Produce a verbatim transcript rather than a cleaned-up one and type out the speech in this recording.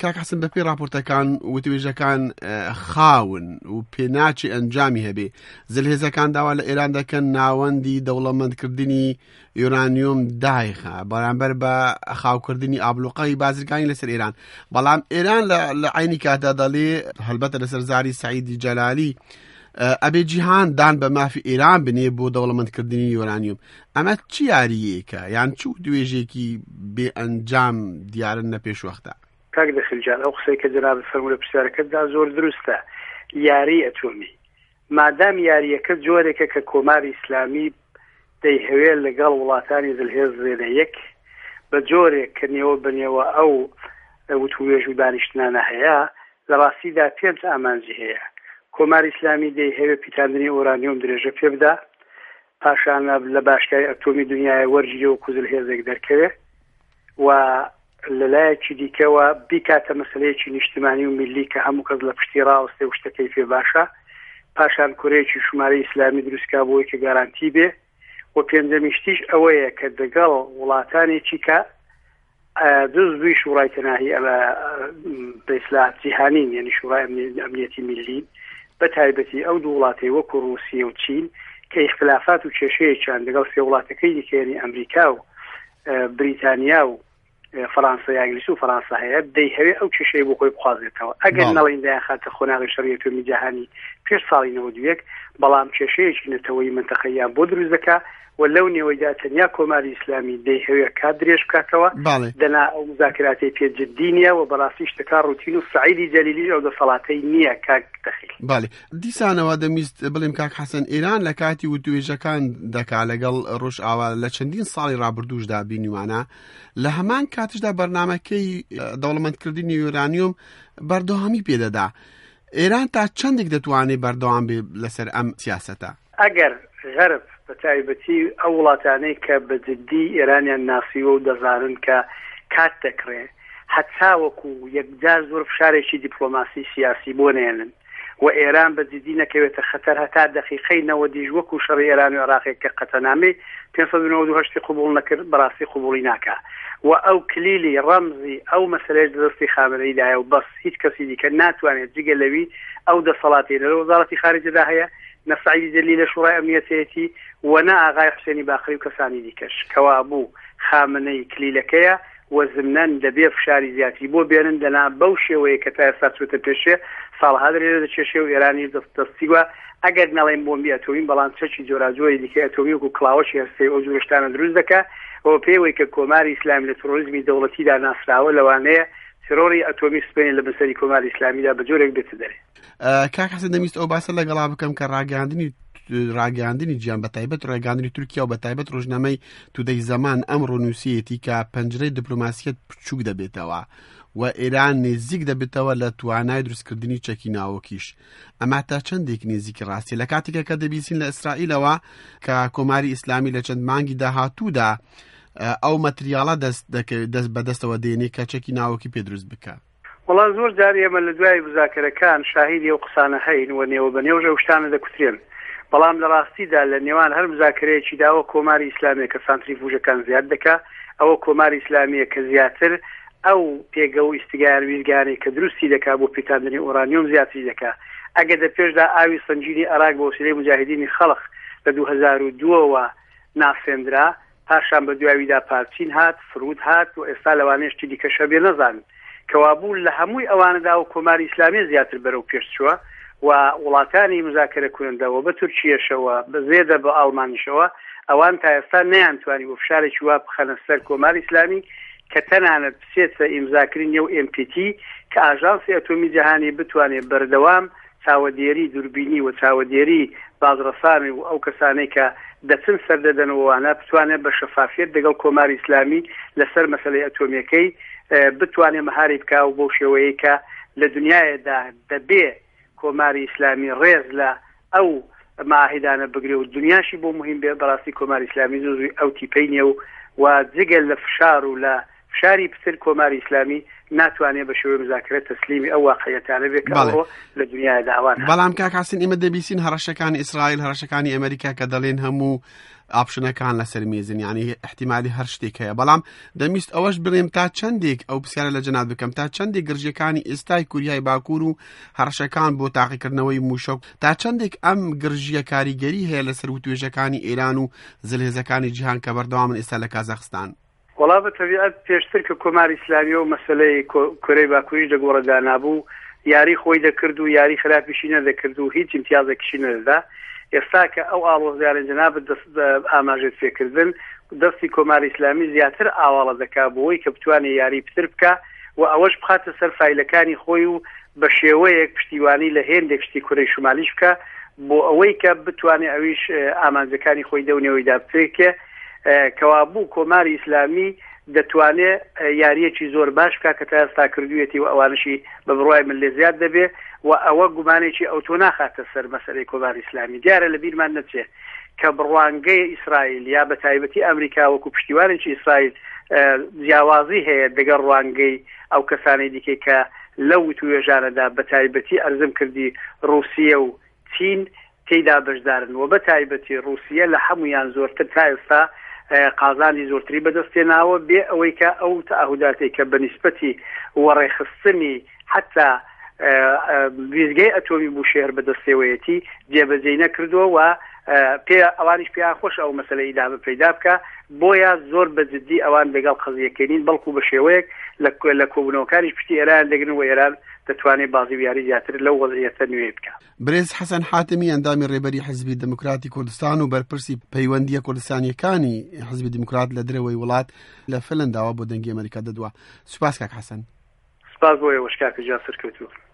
کاک حەسەن، بەپێی راپۆرتەکان وتوێژەکان خاون و پێناچی ئەنجامی هەبێ. زلهێزەکان داوا لە ئێران دەکەن ناوەندی دەوڵەمەندکردنی یۆرانیۆم دایخە بەرامبەر بە خاوکردنی ئابلوقەی بازرگانی لەسەر ئێران. بەڵام ئێران لە عینی کاتدا دەڵێ، هەلبەتە لەسەر زاری سعیدی جەلالی، ئەبێ جیهان دان بە مافی ئێران بنێ بۆ دەوڵەمەندکردنی یۆرانیۆم. ئەمە چی یاریەکە یان چ دوێژێکی بێ ئەنجام دیارن لە پێشوەختە؟ کاک دەخیل جان، ئەو قسەی کە جەنابت فەرموو لە پرسیارەکەتدا زۆر دروستە. یاری ئەتۆمی مادام یاریەکە جۆرێکە کە کۆماری ئیسلامی دەیهەوێت لەگەڵ وڵاتانی زلهێز زێنە یەک بە جۆرێک کە نێوە بەنێوە ئەو وتوێژ و دانیشتنانە هەیە، لە ڕاستیدا پێنج ئامانجی هەیە. کۆماری ئیسلامی دەیهەوێت پیتاندنی ئۆرانیۆم درێژە پێ بدا، پاشان لە باشگای ئەتۆمی دنیای وەرگیرێ و زلهێزێک دەرکەوێ و لەلایەکی دیکەوە بیکاتە مەسلەیەکی نیشتمانی و میللی کە هەموو کەس لە پشتی ڕاوەستێ و شتەکەی پێ باشە. پاشان کورەیەکی شمارەی ئیسلامی دروستکا بۆی کە گارانتی بێ. و پێنجەمی شتیش ئەوەیە کە دەگەڵ وڵاتانێکی کە جزوی شورای تەناهی ئەمە بە ئیسلاح جیهانین، یعنی شورای ئەمنیەتی میللی، بە تایبەتی ئەو دوو وڵاتەی وەکو ڕووسیە و چین کە ئیختلافات و کێشەیەکیان لەگەڵ سێ وڵاتەکەی دیکە، یعنی ئەمریکا و بریتانیا و فەرانسە یا ئینگلیس و فەرانسە هەیە، دەیهەوێ ئەو کێشەی بۆ خۆی بخوازێتەوە. ئەگەر نەڵێن دەیانخاتە قۆناغی شەڕی ئەتۆمی جیهانی پێش ساڵی نەوەد و یەک، بەڵام کێشەیەکی نەتەوەیی منتەقەیان بۆ دروست دەکا و لەو نێوەیدا تەنیا کۆماری ئیسلامی دەیهەوێ کات درێژ بکاتەوە. دەنا ئەو مذاکراتەی پێ جدی نییە و بەڕاستی شتەکە ڕوتین و سعیدی جەلیلیش ئەو دەسەڵاتەی نییە کاک دەخیل. بەڵێ، دیسانەوە دەمیست بڵێم کاک حەسەن، ئێران لە کاتی وتوێژەکان دەکا لەگەڵ ڕۆژئاوا لە چەندین ساڵی ڕابردووشدا بینیوانە، لە هەمان کاتیشدا بەرنامەکەی دەوڵەمەندکردنی یۆرانیۆم بەردەوامی پێدەدا. ئێران تا چەندێک دەتوانێت بەردەوام بێ لەسەر ئەم سیاسەتە؟ ئەگەر غەرب بە تایبەتی ئەو وڵاتانەی کە بە جدی ئێرانیان ناسیوە و دەزانن کە کات دەکرێ، هەتاوەکو یەکجار زۆر فشارێکی دیپلۆماسی سیاسی بۆ نێنن و ئێران بە جدی نەکەوێتە خەتەر هەتا دقیقەی نەوەدیش وەکو شەڕی ئێران و عێراقێک کە قەتەنامەی پێنج سەد و نەوەد و هەشتی قبوڵ نەکرد، بەڕاستی قبوڵی ناکا و ئەو کلیلی ڕەمزی ئەو مەسەلەیەش دەستی خامنەییدایە و بەس هیچ کەسی دیکە ناتوانێت جگە لەوی ئەو دەسەڵاتی لە وەزارەتی خارجەدا هەیە، نە سعیدی جەلیلی لە شورای ئەمنیەتەیەتی و نە ئاغای حوسێنی باقری و کەسانی دیکەش. کەوابوو خامنەی کلیلەکەیە و زمنەن دەبێ فشاری زیاتری بۆ بێنن، دەنا بەو شێوەیە کە تا ئێستا چوتە پێشێ ساڵها درێژە دەکێشێ و ئێرانیش دەستیوە ئەگەر نەڵێن بۆمبی ئەتۆمی، بەڵام چەکی جۆراجۆری دیکە ئەتۆمی وەکو کڵاوەشی هەستەی ئەو جۆرە شتانە دروست دەکا. و پێوەی کە کۆماری ئیسلامی لە ترۆریزمی دەوڵەتیدا ناسراوە، لەوانەیە ترۆری ئەتۆمی سپێنی لە بەسەری کۆماری ئیسلامیدا بە جۆرێک بێتە دەرێ. کاک حەسەن، دەمیست ئەو باسە لەگەڵا بکەم کە ڕاگەاندنی ڕاگەاندنی جیان بە تایبەت ڕێگاندنی تورکیا و بە تایبەت ڕۆژنامەی تودەی زەمان ئەمڕۆ نووسیەتی کە پەنجرەی دیپلۆماسیەت بچووک دەبێتەوە و ئێران نزیک دەبێتەوە لە توانای دروستکردنی چەکی ناوەکیش. ئەمە تا چەندێک نزیکی ڕاستی لە کاتێکە کە دەبیسین لە ئیسرائیلەوە کە کۆماری ئیسلامی لە چەند مانگی داهاتوودا ئەو مەتریاڵە دەست دەست بەدەستەوە دێنێ کە چەکی ناوەکی پێ دروست بکە؟ وەڵا زۆر جار ئێمە لە دوای مذاکرەکان شاهیدی ئەو قسانە هەین و نێوە بە نێوژ ئەو شتانە دەکوترێن، بەڵام لە ڕاستیدا لە نێوان هەر مذاکرەیەکی داوە کۆماری ئیسلامیە کە سانتریفوژەکان زیاد دەکا، ئەوە کۆماری ئیسلامیە کە زیاتر ئەو پێگە و ئیستگار ویزگانەی کە دروستی دەکا بۆ پیتاندنی ئۆرانیۆم زیاتری دەکا. ئەگەر دە پێشدا ئاوی سەنگینی عێراق بە وسیلەی مجاهدینی خەڵق لە دوو هەزار و دووەوە ناسێندرا، پاشان بە دواییدا پارچین هات، فرود هات و ئێستا لەوانەیە شتی دیکەش هەبێ نەزانن. کەوابوو لە هەمووی ئەوانەدا و کۆماری ئیسلامی زیاتر بەرەو پێش چووە و وڵاتانی مذاکرە کوندەوە بە تورکیەشەوە بە زێدە بە ئاڵمانیشەوە، ئەوان تا ئێستا نەیانتوانی بۆ فشارێکی وا بخەنە سەر کۆماری ئیسلامی کە تەنانەت بچێتە ئیمزاکردنی نێو ئێم پی تی کە ئاژانسی ئەتۆمی جیهانی بتوانێت بەردەوام چاوەدێری دووربینی و چاوەدێری بازرەسانی و ئەو کەسانەی کە دەچن سەردەدەنەوەوانە بتوانێت بە شەفافیەت لەگەڵ کۆماری ئیسلامی لەسەر مەسلەی ئەتۆمیەکەی بتوانێت مەهاری بکا و بەو شێوەیە کە لە دنیادا دەبێ کۆماری ئیسلامی ڕێز لە ئەو معاهدانە بگرێ و دنیاشی بۆ مهم بێ. بەڕاستی کۆماری ئیسلامی زوو ئەو تیپەی نییە و و جگەل لە فشار و لە فشاری پتر کۆماری ئیسلامی ناتوانێت بە شێوەی مزاکرە تەسلیمی ئەو واقعیەتانە بێ کە ئەوڕۆ لە دنیادا ئەوان. بەڵام کاک حەسەن ئێمە دەبیسین هەڕەشەکانی ئیسرائیل، هەڕەشەکانی ئەمریکا کە دەڵێن هەموو option ەکان لەسەر مێزن، یعنی احتیمالی هەر شتێک هەیە. بەڵام دەمیست ئەوەش بڵێم تا چەندێک ئەو پرسیارە لە جەناب بکەم، تا چەندێک گرژیەکانی ئێستای کوریای باکوور و هەڕەشەکان بۆ تاقیکردنەوەی مووشەک، تا چەندێک ئەم گرژیە کاریگەری هەیە لەسەر وتوێژەکانی ئێران و زلهێزەکانی جیهان کە بەردەوامن ئێستا لە کازاخستان؟ وەڵا بە تەبیعەت پێشتر کە کۆماری ئیسلامی و مەسەلەی کۆرەی باکووریش دەگۆڕەدا نابوو، یاری خۆی دەکرد و یاری خراپیشی نەدەکرد و هیچ امتیازێکیشی نەدەدا. ئێستا کە ئەو ئاڵۆزیانە جەنابت ئاماژەت پێکردن، دەستی کۆماری ئیسلامی زیاتر ئاواڵە دەکا بۆی کە بتوانێت یاری پتر بکە و ئەوەش بخاتە سەر فایلەکانی خۆی و بە شێوەیەک پشتیوانی لە هێندێک شتی کورەی شمالیش بکە بۆ ئەوەی کە بتوانێت ئەویش ئامانجەکانی خۆی دەونەوەیدا بپێکێ. کەوابوو کۆماری ئیسلامی دەتوانێت یاریەکی زۆر باش بکە کە تا ئێستا کردوویەتی و ئەوانشی بە بڕوای من لێ زیاد دەبێ و ئەوە گومانێکی ئەوتۆ ناخاتە سەر مەسەلەی کۆماری ئیسلامی. دیارە لە بیرمان نەچێت کە بڕوانگەی ئیسرائیل یا بە تایبەتی ئەمریکا وەکو پشتیوانێکی ئیسرائیل جیاوازی هەیە دەگەڵ ڕوانگەی ئەو کەسانەی دیکەی کە لەو وتوێژانەدا بە تایبەتی ئەرزم کردی ڕوسیە و چین تێیدا بەشدارن و بە تایبەتی ڕوسیە لە هەمویان زۆرتر تا ئێستا قازانی زۆرتری بەدەستێناوە بێ ئەوەی کە ئەو تەعهوداتێک کە بە نیسبەتی وەڕێخستنی حتا ویزگەی ئەتۆمی بوشێهر بەدەستێوەیەتی جێبەجێی نەکردووە و پێ ئەوانیش پێیان خۆش ئەو مەسەلە ئیدامە پەیدا بکە. بۆیە زۆر بە جدی ئەوان لەگەڵ قەزیەکەنین، بەڵکو بە شێوەیەک لە کۆبوونەوەکانیش پشتی ئێران دەگرن و ئێران دەتوانێت بازی و یاری زیاتر لەو وەزعیەتە نوێ بکە. برێز حەسەن حاتەمی ئەندامی ڕێبەری حزبی دێموکراتی کوردستان و بەرپرسی پەیوەندیە کوردستانیەکانی حزبی دێموکرات لە دەرەوەی وڵات لە فنلەنداوە بۆ دەنگی ئەمریکا دەدوا. سوپاس کاک حەسەن. سپاس بۆ ئێوەش کاکە گیان، سەرکەوتوو.